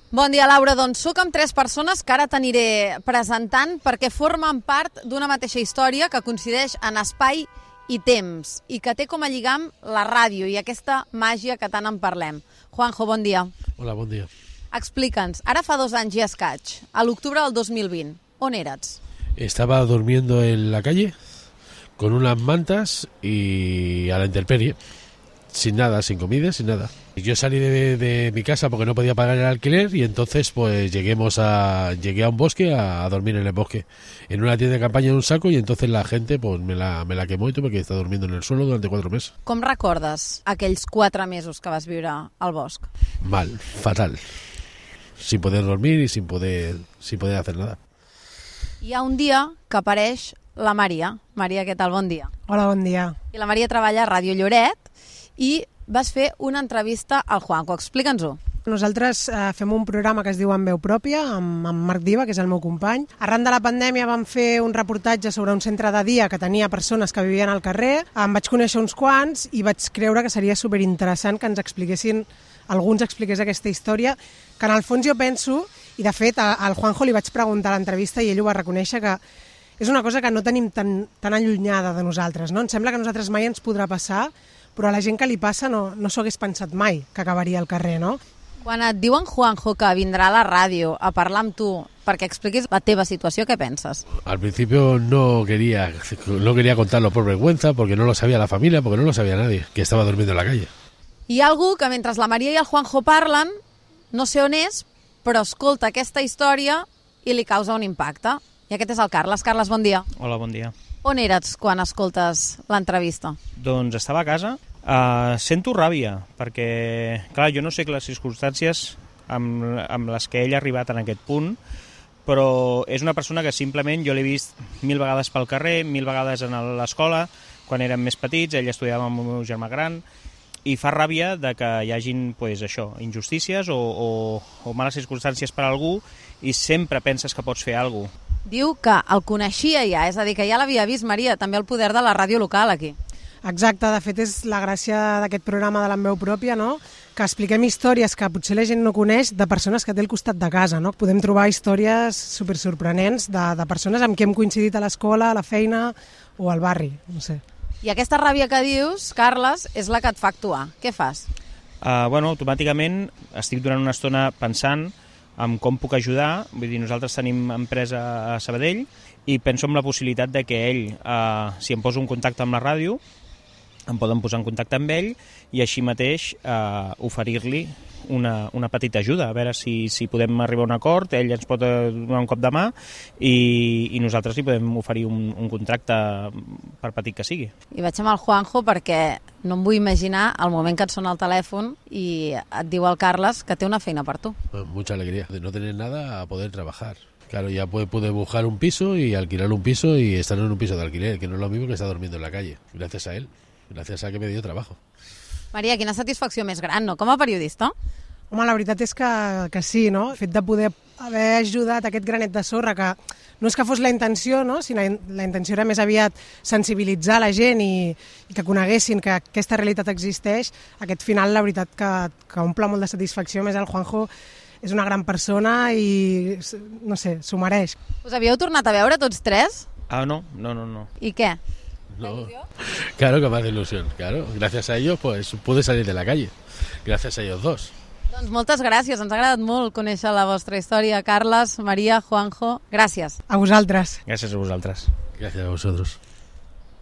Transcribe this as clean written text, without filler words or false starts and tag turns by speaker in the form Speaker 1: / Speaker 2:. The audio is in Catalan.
Speaker 1: Bon dia, Laura. Doncs soc amb 3 persones que ara t'aniré presentant perquè formen part d'una mateixa història que coincideix en espai i temps i que té com a lligam la ràdio i aquesta màgia que tant en parlem. Juanjo, bon dia.
Speaker 2: Hola, bon dia.
Speaker 1: Explica'ns, ara fa 2 anys i escaig, a l'octubre del 2020, on eres?
Speaker 2: Estaba durmiendo en la calle con unas mantas y a la intemperie, sin nada, sin comida, sin nada. Yo salí de mi casa porque no podía pagar el alquiler y entonces pues llegué a un bosque a dormir en el bosque, en una tienda de campaña en un saco, y entonces la gente pues me la quemó y tuve que estar durmiendo en el suelo durante 4 meses.
Speaker 1: Com recordes aquells 4 mesos que vas viure al bosc?
Speaker 2: Mal, fatal, sin poder dormir y sin poder hacer nada.
Speaker 1: Hi ha un dia que apareix la Maria. Maria, què tal? Bon dia.
Speaker 3: Hola, bon dia.
Speaker 1: I la Maria treballa a Ràdio Lloret i vas fer una entrevista al Juanjo. Explica'ns-ho.
Speaker 3: Nosaltres fem un programa que es diu En veu pròpia, amb Marc Diva, que és el meu company. Arran de la pandèmia vam fer un reportatge sobre un centre de dia que tenia persones que vivien al carrer. Em vaig conèixer uns quants i vaig creure que seria superinteressant que ens expliquessin, algú ens expliqués aquesta història, que en el fons jo penso, i de fet al Juanjo li vaig preguntar a l'entrevista i ell ho va reconèixer, que és una cosa que no tenim tan allunyada de nosaltres, no? Em sembla que a nosaltres mai ens podrà passar, però a la gent que li passa no s'ho hagués pensat mai que acabaria al carrer, no?
Speaker 1: Quan et diuen, Juanjo, que vindrà a la ràdio a parlar amb tu perquè expliquis la teva situació, què penses?
Speaker 2: Al principio no quería contarlo por vergüenza, porque no lo sabía la familia, porque no lo sabía nadie, que estaba durmiendo en la calle.
Speaker 1: Hi ha algú que mentre la Maria i el Juanjo parlen, no sé on és, però escolta aquesta història i li causa un impacte. I aquest és el Carles. Carles, bon dia.
Speaker 4: Hola, bon dia.
Speaker 1: On eres quan escoltes l'entrevista?
Speaker 4: Doncs estava a casa. Sento ràbia, perquè, clar, jo no sé les circumstàncies amb les que ell ha arribat en aquest punt, però és una persona que simplement jo l'he vist 1000 vegades pel carrer, 1000 vegades a l'escola, quan érem més petits, ell estudiava amb el meu germà gran, i fa ràbia de que hi hagin pues, això, injustícies o males circumstàncies per a algú i sempre penses que pots fer alguna cosa.
Speaker 1: Diu que el coneixia ja, és a dir, que ja l'havia vist, Maria, també el poder de la ràdio local aquí.
Speaker 3: Exacte, de fet és la gràcia d'aquest programa de l'En veu pròpia, no? Que expliquem històries que potser la gent no coneix de persones que té al costat de casa, no? Podem trobar històries supersorprenents de persones amb qui hem coincidit a l'escola, a la feina o al barri, no sé.
Speaker 1: I aquesta ràbia que dius, Carles, és la que et fa actuar. Què fas?
Speaker 4: Automàticament estic durant una estona pensant en com puc ajudar. Vull dir, nosaltres tenim empresa a Sabadell i penso en la possibilitat de que ell, si em poso en contacte amb la ràdio, em poden posar en contacte amb ell i així mateix oferir-li una petita ajuda, a veure si podem arribar a un acord, ell ens pot donar un cop de mà i nosaltres li podem oferir un contracte per petit que sigui.
Speaker 1: I vaig amb el Juanjo perquè no em vull imaginar el moment que et sona el telèfon i et diu el Carles que té una feina per tu.
Speaker 2: Mucha alegría de no tener nada a poder trabajar. Claro, ya puede buscar un piso y alquilar un piso y estar en un piso de alquiler, que no es lo mismo que estar durmiendo en la calle, gracias a él. Gràcies a que me dio trabajo.
Speaker 1: Maria, quina satisfacció més gran, no? Com a periodista?
Speaker 3: Home, la veritat és que sí, no? El fet de poder haver ajudat aquest granet de sorra, que no és que fos la intenció, no? Sinó la intenció era més aviat sensibilitzar la gent i que coneguessin que aquesta realitat existeix. Aquest final, la veritat, que omple molt de satisfacció. A més, el Juanjo és una gran persona i, no sé, s'ho mereix.
Speaker 1: Us havíeu tornat a veure tots 3?
Speaker 4: No.
Speaker 1: I què?
Speaker 2: No. Claro que me hace ilusión, claro. Gracias a ellos pues pude salir de la calle. Gracias a ellos dos.
Speaker 1: Doncs moltes gràcies, ens ha agradat molt conèixer la vostra història. Carles, Maria, Juanjo, gràcies.
Speaker 3: A vosaltres.
Speaker 4: Gràcies a vosaltres.
Speaker 2: Gracias a vosotros.